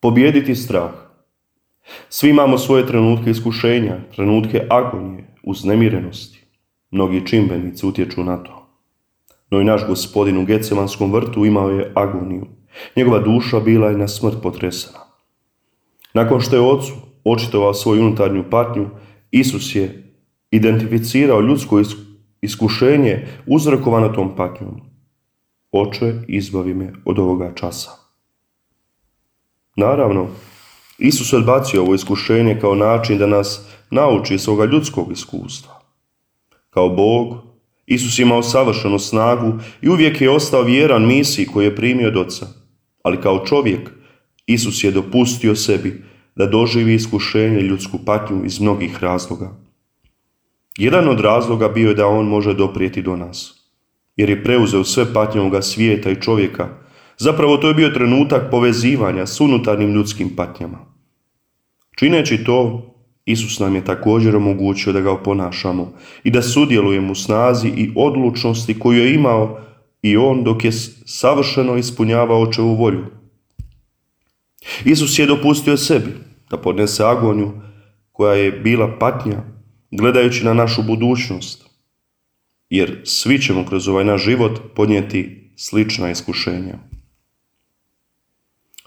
Pobijediti strah. Svi imamo svoje trenutke iskušenja, trenutke agonije, uznemirenosti. Mnogi čimbenici utječu na to. No i naš Gospodin u Getsemanskom vrtu imao je agoniju. Njegova duša bila je na smrt potresena. Nakon što je Ocu očitovao svoju unutarnju patnju, Isus je identificirao ljudsko iskušenje uzrokovano tom patnjom. Oče, izbavi me od ovoga časa. Naravno, Isus odbacio ovo iskušenje kao način da nas nauči svoga ljudskog iskustva. Kao Bog, Isus imao savršenu snagu i uvijek je ostao vjeran misiji koju je primio od Oca. Ali kao čovjek, Isus je dopustio sebi da doživi iskušenje i ljudsku patnju iz mnogih razloga. Jedan od razloga bio je da on može doprijeti do nas, jer je preuzeo sve patnje ovoga svijeta i čovjeka. Zapravo to je bio trenutak povezivanja s unutarnjim ljudskim patnjama. Čineći to, Isus nam je također omogućio da ga oponašamo i da sudjelujemo u snazi i odlučnosti koju je imao i on dok je savršeno ispunjavao Očevu volju. Isus je dopustio sebi da podnese agoniju koja je bila patnja gledajući na našu budućnost, jer svi ćemo kroz ovaj naš život podnijeti slična iskušenja.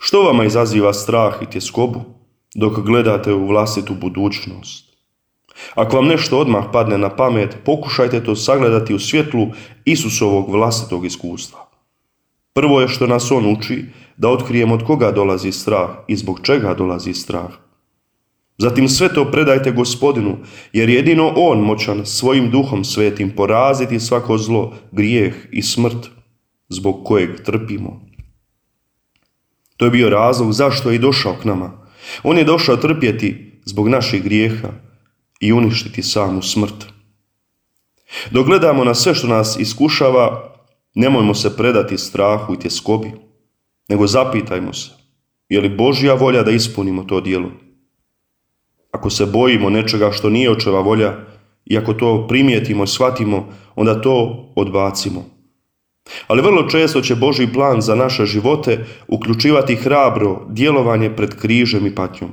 Što vama izaziva strah i tjeskobu dok gledate u vlastitu budućnost? Ako vam nešto odmah padne na pamet, pokušajte to sagledati u svjetlu Isusovog vlastitog iskustva. Prvo je što nas on uči da otkrijemo od koga dolazi strah i zbog čega dolazi strah. Zatim sve to predajte Gospodinu, jer jedino on moćan svojim Duhom Svetim poraziti svako zlo, grijeh i smrt zbog kojeg trpimo. To je bio razlog zašto je i došao k nama. On je došao trpjeti zbog naših grijeha i uništiti samu smrt. Dok gledamo na sve što nas iskušava, nemojmo se predati strahu i tjeskobi, nego zapitajmo se, je li Božja volja da ispunimo to djelo? Ako se bojimo nečega što nije Očeva volja i ako to primijetimo i shvatimo, onda to odbacimo. Ali vrlo često će Božji plan za naše živote uključivati hrabro djelovanje pred križem i patnjom.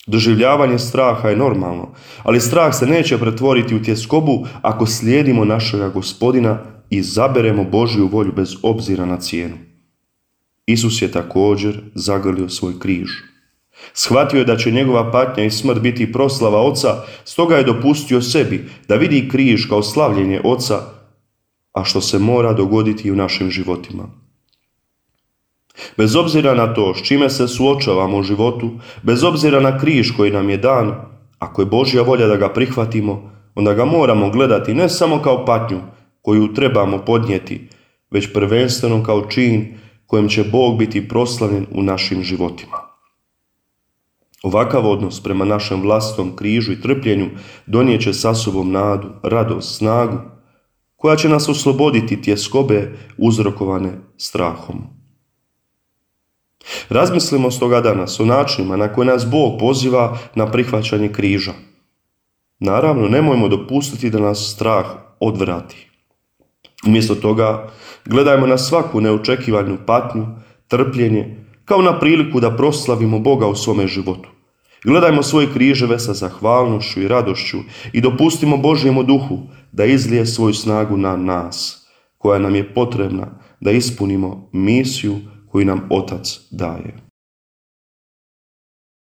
Doživljavanje straha je normalno, ali strah se neće pretvoriti u tjeskobu ako slijedimo našega Gospodina i izaberemo Božju volju bez obzira na cijenu. Isus je također zagrlio svoj križ. Shvatio je da će njegova patnja i smrt biti proslava Oca, stoga je dopustio sebi da vidi križ kao slavljenje Oca, a što se mora dogoditi i u našim životima. Bez obzira na to s čime se suočavamo u životu, bez obzira na križ koji nam je dan, ako je Božja volja da ga prihvatimo, onda ga moramo gledati ne samo kao patnju koju trebamo podnijeti, već prvenstveno kao čin kojem će Bog biti proslavljen u našim životima. Ovakav odnos prema našem vlastitom križu i trpljenju donijet će sa sobom nadu, radost, snagu, koja će nas osloboditi tjeskobe uzrokovane strahom. Razmislimo stoga danas o načinima na koje nas Bog poziva na prihvaćanje križa. Naravno, nemojmo dopustiti da nas strah odvrati. Umjesto toga, gledajmo na svaku neočekivanu patnju, trpljenje, kao na priliku da proslavimo Boga u svome životu. Gledajmo svoje križeve sa zahvalnošću i radošću i dopustimo Božjemu Duhu da izlije svoju snagu na nas, koja nam je potrebna da ispunimo misiju koju nam Otac daje.